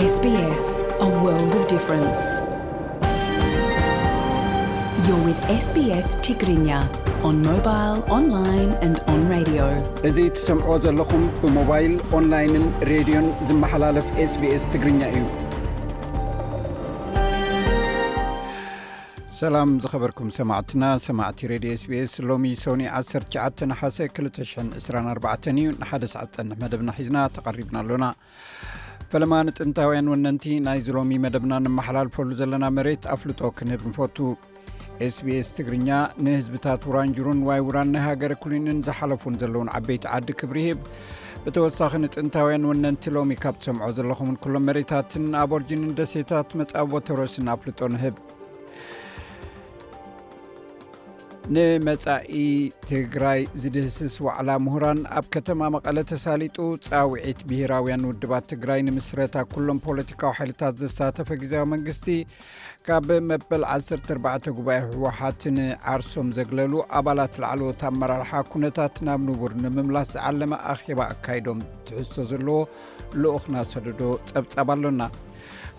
S B S, a world of difference. You're with S B S Tigrinya on mobile, online and on radio. እዚ ትሰምዖ ዘለኹም ብሞባይል፣ ኦንላይንን ሬድዮን ዝመሓላለፍ SBS ትግርኛ እዩ። ሰላም ዝኸበርኩም ሰማዕትና፣ ሰማዕቲ ሬድዮ SBS። ሎሚ ሶኒ ዓሰርተ ትሽዓተ ነሓሰ ክልተ ሽሕን ዕስራን ኣርባዕተን እዩ። ንሓደ ሰዓት ጸንሕ መደብና ሒዝና ተቐሪብና ኣሎና። ፈለማ ንጥንታውያን ወነንቲ ናይዚ ሎሚ መደብና ንመሓላልፈሉ ዘለና መሬት ኣፍልጦ ክንህብ ንፈቱ። SBS ትግርኛ ንህዝብታት ውራንጅሩን ዋይ ውራን ናይ ሃገረ ኩሊንን ዝሓለፉን ዘለውን ዓበይቲ ዓዲ ክብሪ ይህብ። ብተወሳኺ ንጥንታውያን ወነንቲ ሎሚ ካብ ትሰምዖ ዘለኹምን ኩሎም መሬታትን ኣቦርጂንን ደሴታት መጻቦ ተሮስን ኣፍልጦ ንህብ። ንመጻኢ ትግራይ ዝድህስስ ዋዕላ ምሁራን ኣብ ከተማ መቐለ ተሳሊጡ። ጻውዒት ብሄራውያን ውድባት ትግራይ ንምስረታ ኩሎም ፖለቲካዊ ሓይልታት ዘሳተፈ ግዝያዊ መንግስቲ ካብ መበል ዓሰርተ ኣርባዕተ ጉባኤ ህወሓት ንዓርሶም ዘግለሉ ኣባላት ላዕለዎት ኣመራርሓ ኩነታት ናብ ንቡር ንምምላስ ዝዓለመ ኣኼባ ኣካይዶም ትሕዝቶ ዘለዎ ልኡኽና ሰደዶ ጸብጻብ ኣሎና።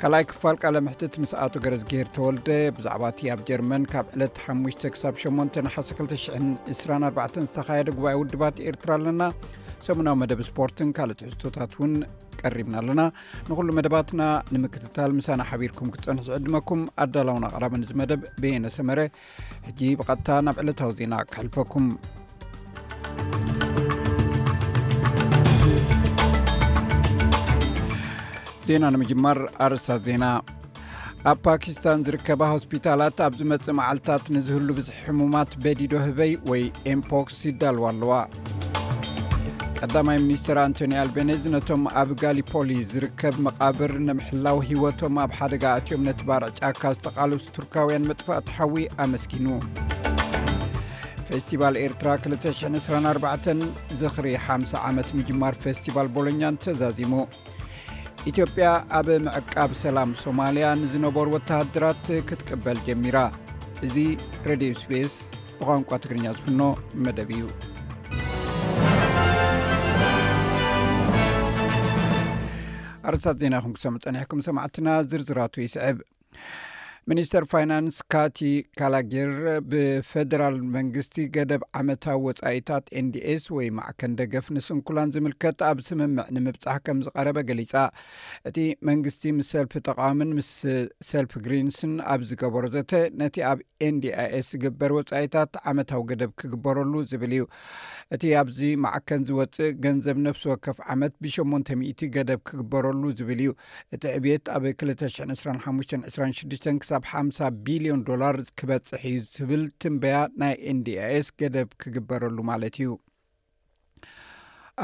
ካልኣይ ክፋል ቃለ ምሕትት ምስ ኣቶ ገረዝግሄር ተወልደ ብዛዕባ እቲ ኣብ ጀርመን ካብ ዕለት ሓሙሽተ ክሳብ ሸሞንተ ነሓሰ ክልተ ሽሕን ዕስራን ኣርባዕተን ዝተኻየደ ጉባኤ ውድባት ኤርትራ ኣለና። ሰሙናዊ መደብ ስፖርትን ካልእ ትሕዝቶታት እውን ቀሪብና ኣለና። ንኹሉ መደባትና ንምክትታል ምሳና ሓቢርኩም ክትጸንሑ ዝዕድመኩም ኣዳላውን ኣቕራብን እዚ መደብ በየነ ሰመረ። ሕጂ ብቐጥታ ናብ ዕለታዊ ዜና ክሕልፈኩም። ዜና ንምጅማር ኣርእስታት ዜና። ኣብ ፓኪስታን ዝርከባ ሆስፒታላት ኣብ ዝመጽእ መዓልታት ንዝህሉ ብዝሒ ሕሙማት በዲዶ ህበይ ወይ ኤምፖክስ ይዳልዋ ኣለዋ። ቀዳማይ ሚኒስትር ኣንቶኒ ኣልቤኔዝ ነቶም ኣብ ጋሊፖሊ ዝርከብ መቓብር ንምሕላው ህይወቶም ኣብ ሓደጋ ኣትዮም ነቲ ባርዕ ጫካ ዝተቓለሱ ቱርካውያን መጥፋእቲ ሓዊ ኣመስጊኑ። ፌስቲቫል ኤርትራ ክልተ ሽሕን ዕስራን ኣርባዕተን ዝኽሪ ሓምሳ ዓመት ምጅማር ፌስቲቫል ቦሎኛን ተዛዚሙ። ኢትዮጵያ ኣብ ምዕቃብ ሰላም ሶማልያ ንዝነበሩ ወተሃደራት ክትቅበል ጀሚራ። እዚ ሬድዮ SBS ብቋንቋ ትግርኛ ዝፍኖ መደብ እዩ። ኣርእስታት ዜና ኢኹም ክሰምዑ ጸኒሕኩም ሰማዕትና፣ ዝርዝራቱ ይስዕብ። ሚኒስተር ፋይናንስ ካቲ ካላጊር ብፌደራል መንግስቲ ገደብ ዓመታዊ ወጻኢታት NDS ወይ ማዕከን ደገፍ ንስንኩላን ዝምልከት ኣብ ስምምዕ ንምብጻሕ ከም ዝቐረበ ገሊጻ። እቲ መንግስቲ ምስ ሰልፊ ተቃዋምን ምስ ሰልፊ ግሪንስን ኣብ ዝገበሮ ዘተ፣ ነቲ ኣብ NDIS ዝግበር ወጻኢታት ዓመታዊ ገደብ ክግበረሉ ዝብል እዩ። እቲ ኣብዚ ማዕከን ዝወጽእ ገንዘብ ነፍሲ ወከፍ ዓመት ብሸሞንተ ሚእቲ ገደብ ክግበረሉ ዝብል እዩ። እቲ ዕብየት ኣብ ክልተ ሽሕን ዕስራን ሓሙሽተን ዕስራን ሽዱሽተን ክሳብ ሓምሳ ቢልዮን ዶላር ክበጽሕ እዩ ዝብል ትንበያ ናይ NDIS ገደብ ክግበረሉ ማለት እዩ።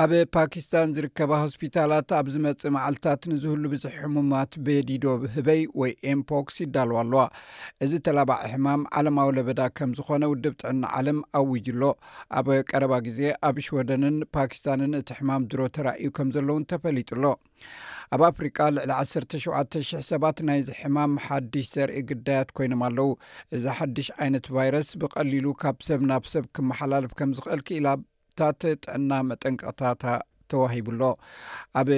ኣብ ፓኪስታን ዝርከባ ሆስፒታላት ኣብ ዝመጽእ መዓልታት ንዝህሉ ብዝሒ ሕሙማት በዲዶ ህበይ ወይ ኤምፖክስ ይዳለዋ ኣለዋ። እዚ ተላባዒ ሕማም ዓለማዊ ለበዳ ከም ዝኾነ ውድብ ጥዕና ዓለም ኣዊጁ ኣሎ። ኣብ ቀረባ ግዜ ኣብ ሽወደንን ፓኪስታንን እቲ ሕማም ድሮ ተራእዩ ከም ዘለውን ተፈሊጡ ኣሎ። ኣብ ኣፍሪቃ ልዕሊ ዓሰርተ ሸውዓተ ሽሕ ሰባት ናይዚ ሕማም ሓድሽ ዘርኢ ግዳያት ኮይኖም ኣለዉ። እዚ ሓድሽ ዓይነት ቫይረስ ብቐሊሉ ካብ ሰብ ናብ ሰብ ክመሓላለፍ ከም ዝኽእል ክኢላታት ጥዕና መጠንቀቕታታ ተዋሂቡ ኣሎ። ኣብ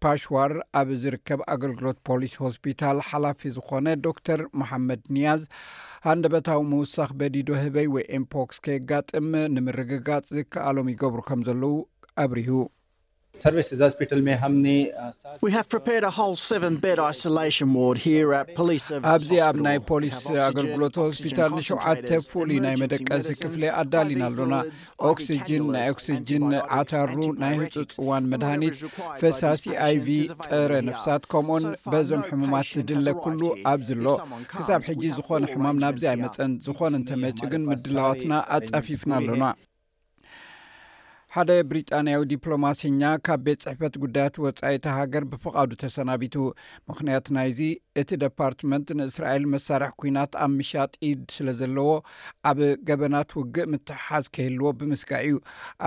ፓሽዋር ኣብ ዝርከብ ኣገልግሎት ፖሊስ ሆስፒታል ሓላፊ ዝኾነ ዶክተር መሓመድ ኒያዝ፣ ሃንደበታዊ ምውሳኽ በዲዶ ህበይ ወይ ኤምፖክስ ከየጋጥም ንምርግጋጽ ዝከኣሎም ይገብሩ ከም ዘለዉ ኣብሪሁ። Services hospital में हमने, अ, सात We have prepared a whole seven bed isolation ward here at Police Services ኣብዚ ኣብ Hospital. ናይ We ፖሊስ have oxygen, ኣገልግሎት oxygen ሆስፒታል ንሸውዓተ concentrators, ፍሉይ ናይ emergency መደቀሲ medicines, ክፍሊ ኣዳሊና I V ኣሎና። fluids, ኦክሲጅን፣ ናይ I V cannulars, ኦክሲጅን፣ antibiotics, ዓታሩ፣ ናይ antibiotics, ህጹጽ እዋን and መድሃኒት፣ whatever is required by ፈሳሲ this patient ኣይቪ፣ is available ጸረ here. ነፍሳት፣ ከምኡውን So far, በዞም no ሕሙማት patient has ዝድለ required ኩሉ here. ኣብዚ ኣሎ። If someone comes ክሳብ ሕጂ ዝኾነ ሕማም ናብዚ ኣይመጸን። ዝኾነ እንተመጺኡ ግን ምድላዋትና ኣጻፊፍና ኣሎና። ሓደ ብሪጣንያዊ ዲፕሎማሲኛ ካብ ቤት ጽሕፈት ጉዳያት ወጻኢ እታ ሃገር ብፍቓዱ ተሰናቢቱ። ምኽንያት ናይዚ፣ እቲ ደፓርትመንት ንእስራኤል መሳርሒ ኲናት ኣብ ምሻጥ ኢድ ስለ ዘለዎ፣ ኣብ ገበናት ውግእ ምትሕሓዝ ከይህልዎ ብምስጋእ እዩ።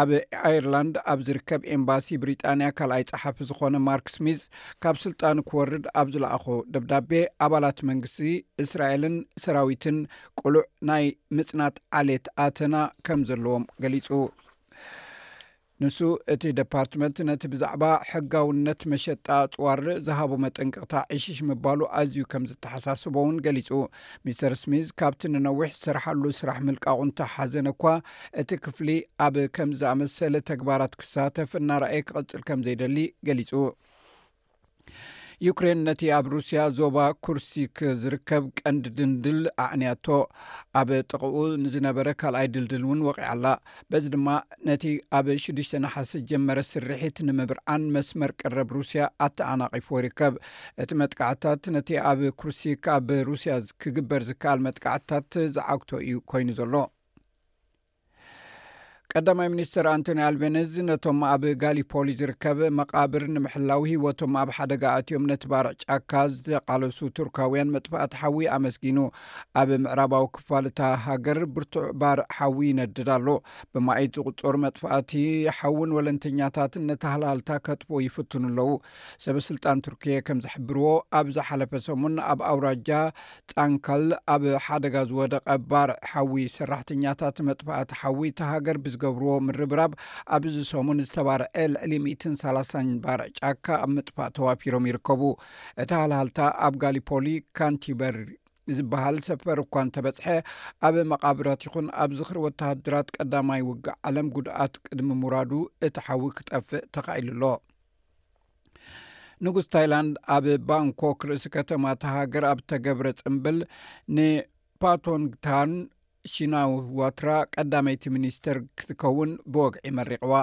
ኣብ ኣየርላንድ ኣብ ዝርከብ ኤምባሲ ብሪጣንያ ካልኣይ ጸሓፊ ዝኾነ ማርክ ስሚዝ ካብ ስልጣኑ ክወርድ ኣብ ዝለኣኾ ደብዳቤ፣ ኣባላት መንግስቲ እስራኤልን ሰራዊትን ቅሉዕ ናይ ምጽናት ዓሌት ኣተና ከም ዘለዎም ገሊጹ። ንሱ እቲ ደፓርትመንት ነቲ ብዛዕባ ሕጋውነት መሸጣ ኣጽዋር ዝሃቦ መጠንቀቕታ ዕሽሽ ምባሉ ኣዝዩ ከም ዝተሓሳስቦ እውን ገሊጹ። ሚስተር ስሚዝ ካብቲ ንነዊሕ ዝሰርሓሉ ስራሕ ምልቃቑ እንተሓዘነ እኳ፣ እቲ ክፍሊ ኣብ ከም ዝኣመሰለ ተግባራት ክሳተፍ እናረኣየ ክቕጽል ከም ዘይደሊ ገሊጹ። ዩክሬን ነቲ ኣብ ሩስያ ዞባ ኩርሲክ ዝርከብ ቀንዲ ድልድል ኣዕንያቶ፣ ኣብ ጥቕኡ ንዝነበረ ካልኣይ ድልድል እውን ወቒዓ ኣላ። በዚ ድማ ነቲ ኣብ ሽዱሽተ ነሓሰ ዝጀመረ ስርሒት ንምብርዓን መስመር ቀረብ ሩስያ ኣተዓናቒፎ ይርከብ። እቲ መጥቃዕታት ነቲ ኣብ ኩርሲክ ኣብ ሩስያ ክግበር ዝከኣል መጥቃዕታት ዝዓግቶ እዩ ኮይኑ ዘሎ። ቀዳማይ ሚኒስትር ኣንቶኒ ኣልቤነዝ ነቶም ኣብ ጋሊፖሊ ዝርከብ መቓብር ንምሕላው ህይወቶም ኣብ ሓደጋ ኣትዮም ነቲ ባርዕ ጫካ ዝተቓለሱ ቱርካውያን መጥፋእቲ ሓዊ ኣመስጊኑ። ኣብ ምዕራባዊ ክፋል እታ ሃገር ብርቱዕ ባርዕ ሓዊ ይነድድ ኣሎ። ብማእት ዝቑጸሩ መጥፋእቲ ሓውን ወለንተኛታትን ነቲ ሃልሃልታ ከጥፍኡ ይፍትኑ ኣለዉ። ሰበ ስልጣን ቱርኪየ ከም ዝሕብርዎ፣ ኣብ ዝሓለፈ ሰሙን ኣብ ኣውራጃ ጣንካል ኣብ ሓደጋ ዝወደቐ ባርዕ ሓዊ ሰራሕተኛታት መጥፋእቲ ሓዊ እታ ሃገር ብዝገብርዎ ምርብራብ፣ ኣብዚ ሰሙን ዝተባርዐ ልዕሊ ሚእትን ሰላሳን ባርዕ ጫካ ኣብ ምጥፋእ ተዋፊሮም ይርከቡ። እቲ ሃልሃልታ ኣብ ጋሊፖሊ ካንቲበር ዝበሃል ሰፈር እኳ እንተበጽሐ፣ ኣብ መቓብራት ይኹን ኣብ ዝኽሪ ወተሃደራት ቀዳማይ ውግእ ዓለም ጉድኣት ቅድሚ ምውራዱ እቲ ሓዊ ክጠፍእ ተኻኢሉ ኣሎ። ንጉስ ታይላንድ ኣብ ባንኮክ ርእሲ ከተማ እታ ሃገር ኣብ ተገብረ ጽምብል ንፓቶንግታን ሺናዋትራ ቀዳመይቲ ሚኒስተር ክትከውን ብወግዒ መሪቕዋ።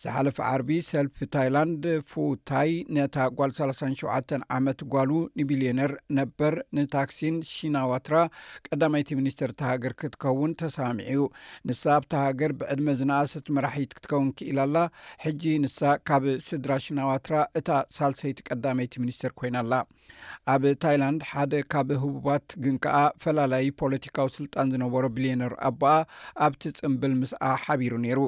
ዝሓለፈ ዓርቢ ሰልፊ ታይላንድ ፉ ታይ ነታ ጓል ሰላሳን ሸውዓተን ዓመት ጓሉ ንቢልዮነር ነበር ንታክሲን ሺናዋትራ ቀዳመይቲ ሚኒስተር እታ ሃገር ክትከውን ተሰማሚዑ እዩ። ንሳ ኣብታ ሃገር ብዕድመ ዝነኣሰት መራሒት ክትከውን ክኢላ ኣላ። ሕጂ ንሳ ካብ ስድራ ሽናዋትራ እታ ሳልሰይቲ ቀዳመይቲ ሚኒስተር ኮይና ኣላ። ኣብ ታይላንድ ሓደ ካብ ህቡባት ግን ከኣ ፈላላዪ ፖለቲካዊ ስልጣን ዝነበሮ ቢልዮነር ኣቦኣ ኣብቲ ጽምብል ምስኣ ሓቢሩ ነይሩ።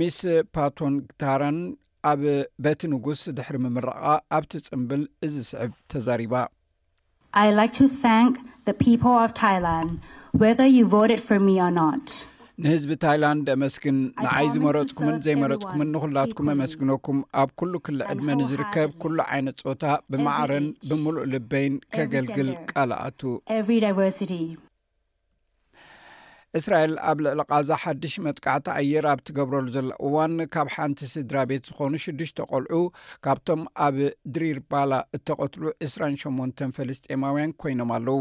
ሚስ ፓቶንግታራን ኣብ በቲ ንጉስ ድሕሪ ምምራቓ ኣብቲ ጽምብል እዚ ዝስዕብ ተዛሪባ። I like to thank the people of Thailand, whether you voted for me or not. ንህዝቢ ታይላንድ ኣመስግን። ንዓይ ዝመረጽኩምን ዘይመረጽኩምን ንኹላትኩም ኣመስግነኩም። ኣብ ኩሉ ክሊ ዕድመ ንዝርከብ ኩሉ ዓይነት ጾታ ብማዕረን ብምሉእ ልበይን ከገልግል ቃል ኣቱ። Every diversity. እስራኤል ኣብ ልዕሊ ቓዛ ሓድሽ መጥቃዕቲ ኣየር ኣብ ትገብረሉ ዘላ እዋን፣ ካብ ሓንቲ ስድራ ቤት ዝኾኑ ሽዱሽተ ቆልዑ ካብቶም ኣብ ድሪር ባላ እተቐትሉ ዕስራን ሸሞንተን ፍልስጤማውያን ኮይኖም ኣለዉ።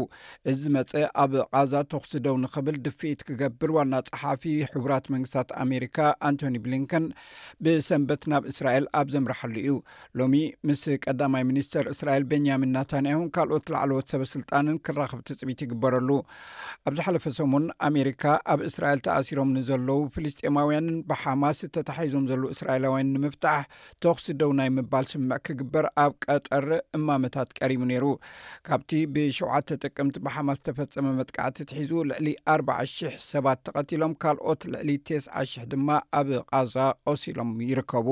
እዚ መጸ ኣብ ቓዛ ተኹሲ ደው ንኽብል ድፍኢት ክገብር ዋና ጸሓፊ ሕቡራት መንግስታት ኣሜሪካ ኣንቶኒ ብሊንከን ብሰንበት ናብ እስራኤል ኣብ ዘምርሓሉ እዩ። ሎሚ ምስ ቀዳማይ ሚኒስተር እስራኤል ቤንያሚን ናታንያሁን ካልኦት ላዕለዎት ሰበ ስልጣንን ክራኸብ ትጽቢት ይግበረሉ። ኣብ ዝሓለፈ ሰሙን ኣሜሪካ ኣብ እስራኤል ተኣሲሮም ንዘለዉ ፍልስጤማውያንን ብሓማስ ተታሒዞም ዘለዉ እስራኤላውያን ንምፍታሕ ተኹሲ ደው ናይ ምባል ስምምዕ ክግበር ኣብ ቀጠር እማመታት ቀሪቡ ነይሩ። ካብቲ ብሸውዓተ ጥቅምቲ ብሓማስ ዝተፈጸመ መጥቃዕቲ ትሒዙ ልዕሊ ኣርባዓ ሽሕ ሰባት ተቐቲሎም፣ ካልኦት ልዕሊ ተስዓ ሽሕ ድማ ኣብ ቓዛ ቆሲሎም ይርከቡ።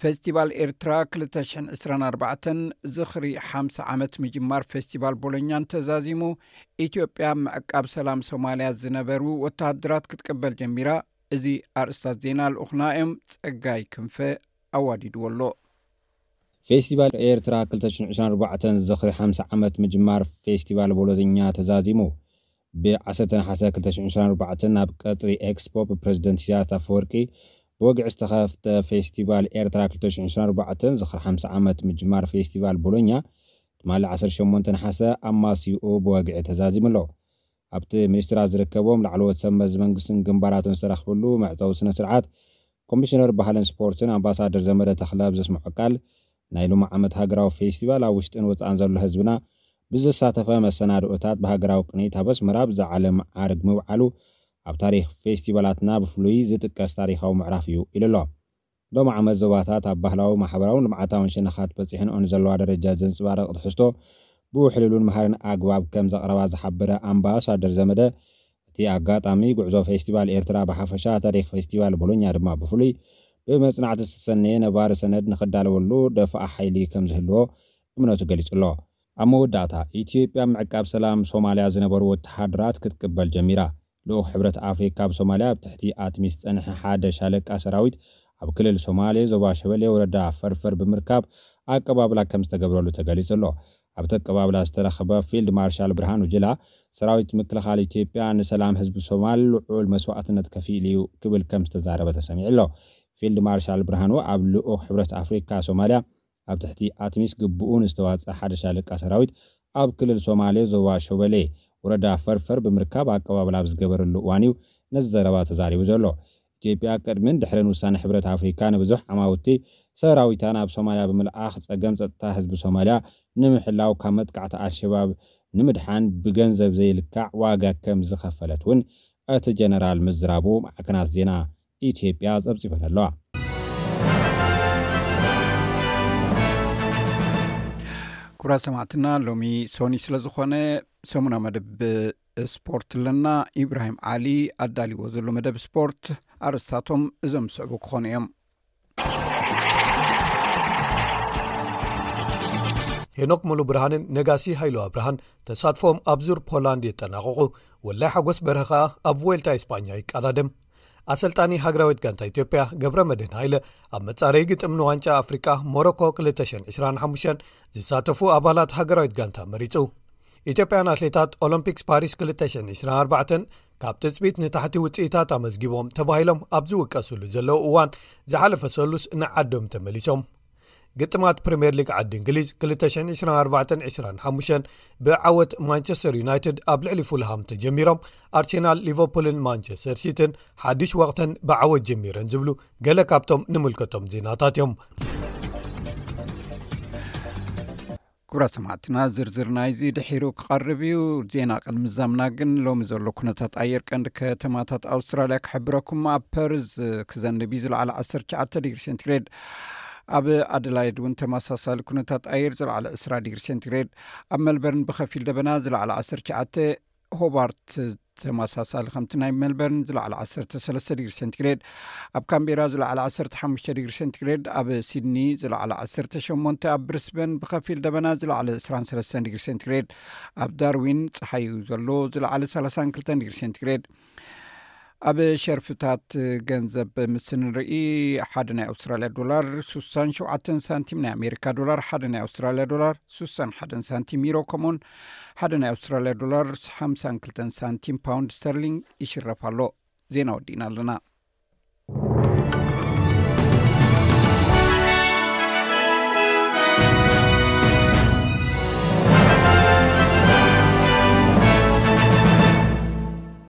ፌስቲቫል ኤርትራ ክልተ ሽሕን ዕስራን ኣርባዕተን ዝኽሪ ሓምሳ ዓመት ምጅማር ፌስቲቫል ቦሎኛን ተዛዚሙ፣ ኢትዮጵያ ምዕቃብ ሰላም ሶማልያ ዝነበሩ ወተሃደራት ክትቅበል ጀሚራ። እዚ ኣርእስታት ዜና ልኡኽና እዮም። ጸጋይ ክንፈ ኣዋዲድዎ ኣሎ። ፌስቲቫል ኤርትራ ክልተ ሽሕን ዕስራን ኣርባዕተን ዝኽሪ ሓምሳ ዓመት ምጅማር ፌስቲቫል ቦሎኛ ተዛዚሙ። ብ ዓሰርተ ነሓሰ ክልተ ሽሕን ዕስራን ኣርባዕተን ኣብ ቀጽሪ ኤክስፖ ብፕረዚደንት ኢሳያስ ኣፈወርቂ ብወግዒ ዝተኸፍተ ፌስቲቫል ኤርትራ ክልተ ሽሕን ዕስራን ኣርባዕተን ዝኽሪ ሓምሳ ዓመት ምጅማር ፌስቲቫል ቦሎኛ ትማሊ ዓሰርተ ሸሞንተ ነሓሰ ኣማስይኡ ብወግዒ ተዛዚሙ ኣሎ። ኣብቲ ሚኒስትራት ዝርከቦም ላዕለዎት ሰብ መዚ መንግስትን ግንባራትን ዝተረኽብሉ መዕጸዊ ስነ ስርዓት ኮሚሽነር ባህልን ስፖርትን ኣምባሳደር ዘመደ ተኽለ ኣብ ዘስምዖ ቃል፣ ናይ ሎሚ ዓመት ሃገራዊ ፌስቲቫል ኣብ ውሽጥን ወጻእን ዘሎ ህዝብና ብዘሳተፈ መሰናድኦታት ብሃገራዊ ቅኒት ኣብ ኣስመራ ብዝዓለም ዓርግ ምብዓሉ ኣብ ታሪኽ ፌስቲቫላትና ብፍሉይ ዝጥቀስ ታሪኻዊ ምዕራፍ እዩ ኢሉ ኣሎ። ሎሚ ዓመት ዞባታት ኣብ ባህላዊ፣ ማሕበራውን ልምዓታውን ሸነኻት በጺሐንኦ ንዘለዋ ደረጃ ዘንጽባርቕ ትሕዝቶ ብውሕሉሉን መሃርን ኣግባብ ከም ዘቕረባ ዝሓበረ ኣምባሳደር ዘመደ፣ እቲ ኣጋጣሚ ጉዕዞ ፌስቲቫል ኤርትራ ብሓፈሻ፣ ታሪኽ ፌስቲቫል ቦሎኛ ድማ ብፍሉይ ብመጽናዕቲ ዝተሰነየ ነባሪ ሰነድ ንኽዳለወሉ ደፋኣ ሓይሊ ከም ዝህልዎ እምነቱ ገሊጹ ኣሎ። ኣብ መወዳእታ፣ ኢትዮጵያ ምዕቃብ ሰላም ሶማልያ ዝነበሩ ወተሃደራት ክትቅበል ጀሚራ። ልኡኽ ሕብረት ኣፍሪካ ኣብ ሶማልያ ኣብ ትሕቲ ኣትሚስ ዝጸንሐ ሓደ ሻለቃ ሰራዊት ኣብ ክልል ሶማሌ ዞባ ሸበሌ ወረዳ ፈርፈር ብምርካብ ኣቀባብላ ከም ዝተገብረሉ ተገሊጹ ኣሎ። ኣብቲ ኣቀባብላ ዝተረኸበ ፊልድ ማርሻል ብርሃኑ ጅላ፣ ሰራዊት ምክልኻል ኢትዮጵያ ንሰላም ህዝቢ ሶማል ልዑል መስዋእትነት ከፊሉ እዩ ክብል ከም ዝተዛረበ ተሰሚዑ ኣሎ። ፊልድ ማርሻል ብርሃኑ ኣብ ልኡኽ ሕብረት ኣፍሪካ ሶማልያ ኣብ ትሕቲ ኣትሚስ ግብኡ ንዝተዋፀ ሓደ ሻለቃ ሰራዊት ኣብ ክልል ሶማሌ ዞባ ሾበሌ ወረዳ ፈርፈር ብምርካብ ኣቀባበል ኣብ ዝገበረሉ እዋን እዩ ነዚ ዘረባ ተዛሪቡ ዘሎ። ኢትዮጵያ ቅድምን ድሕርን ውሳነ ሕብረት ኣፍሪካ ንብዙሕ ዓማውቲ ሰራዊታ ናብ ሶማልያ ብምልኣኽ ጸገም ጸጥታ ህዝቢ ሶማልያ ንምሕላው ካብ መጥቃዕቲ ኣልሸባብ ንምድሓን ብገንዘብ ዘይልካዕ ዋጋ ከም ዝኸፈለት እውን እቲ ጀነራል ምዝራቡ ማዕከናት ዜና ኢትዮጵያ ጸብጺበን ኣለዋ። ክቡራት ሰማዕትና፣ ሎሚ ሶኒ ስለ ዝኾነ ሰሙና መደብ ስፖርት ኣለና። ኢብራሂም ዓሊ ኣዳልዎ ዘሎ መደብ ስፖርት፣ ኣርእስታቶም እዞም ዝስዕቡ ክኾኑ እዮም። ሄኖክ ሙሉ ብርሃንን ነጋሲ ሃይሉ ኣብርሃን ተሳትፎም ኣብ ዙር ፖላንድ የጠናቕቑ። ወላይ ሓጎስ በርሀ ከኣ ኣብ ቮልታ ኢስጳኛ ይቀዳደም። ኣሰልጣኒ ሃገራዊት ጋንታ ኢትዮጵያ ገብረ መድህን ሃይለ ኣብ መጻረዪ ግጥም ንዋንጫ ኣፍሪቃ ሞሮኮ ክልተ ሽሕን ዕስራን ሓሙሽተን ዝሳተፉ ኣባላት ሃገራዊት ጋንታ መሪጹ። ኢትዮጵያን ኣትሌታት ኦሎምፒክስ ፓሪስ ክልተ ሽሕን ዕስራን ኣርባዕተን ካብ ትጽቢት ንታሕቲ ውጽኢታት ኣመዝጊቦም ተባሂሎም ኣብ ዝውቀሱሉ ዘለዉ እዋን ዝሓለፈ ሰሉስ ንዓዶም ተመሊሶም። ግጥማት ፕሪምየር ሊግ ዓዲ እንግሊዝ ክልተ ሽሕን ዕስራን ኣርባዕተን ዕስራን ሓሙሽተን ብዓወት ማንቸስተር ዩናይትድ ኣብ ልዕሊ ፉልሃም ተጀሚሮም፣ ኣርሴናል፣ ሊቨርፑልን ማንቸስተር ሲቲን ሓድሽ ወቕተን ብዓወት ጀሚረን ዝብሉ ገለ ካብቶም ንምልከቶም ዜናታት እዮም። ክቡራት ሰማዕትና፣ ዝርዝር ናይዚ ድሒሩ ክቐርብ እዩ። ዜና ቅድሚ ዛምና ግን ሎሚ ዘሎ ኩነታት ኣየር ቀንዲ ከተማታት ኣውስትራልያ ክሕብረኩም። ኣብ ፐርዝ ክዘንብ እዩ፣ ዝለዓለ ዓሰርተ ትሽዓተ ዲግሪ ሴንቲግሬድ። ኣብ ኣደላይድ እውን ተመሳሳሊ ኩነታት ኣየር፣ ዝለዓለ ዕስራ ዲግሪ ሴንቲግሬድ። ኣብ መልበርን ብኸፊል ደበና፣ ዝለዓለ ዓሰርተ ትሽዓተ። ሆባርት ተመሳሳሊ ከምቲ ናይ መልበርን፣ ዝለዓለ ዓሰርተ ሰለስተ ዲግሪ ሴንቲግሬድ። ኣብ ካምቤራ ዝለዓለ ዓሰርተ ሓሙሽተ ዲግሪ ሴንቲግሬድ። ኣብ ሲድኒ ዝለዓለ ዓሰርተ ሸሞንተ። ኣብ ብሪስበን ብኸፊል ደበና፣ ዝለዓለ ዕስራን ሰለስተን ዲግሪ ሴንቲግሬድ። ኣብ ዳርዊን ጸሓዩ ዘሎ፣ ዝለዓለ ሰላሳን ክልተን ዲግሪ ሴንቲግሬድ። ኣብ ሸርፍታት ገንዘብ ምስ ንርኢ፣ ሓደ ናይ ኣውስትራልያ ዶላር ሱሳን ሸውዓተን ሳንቲም፣ ናይ ኣሜሪካ ዶላር ሓደ ናይ ኣውስትራልያ ዶላር ሱሳን ሓደን ሳንቲም፣ ዩሮ ከምኡውን ሓደ ናይ ኣውስትራልያ ዶላር ሓምሳን ክልተን ሳንቲም ፓውንድ ስተርሊንግ ይሽረፍ ኣሎ። ዜና ወዲእና ኣለና።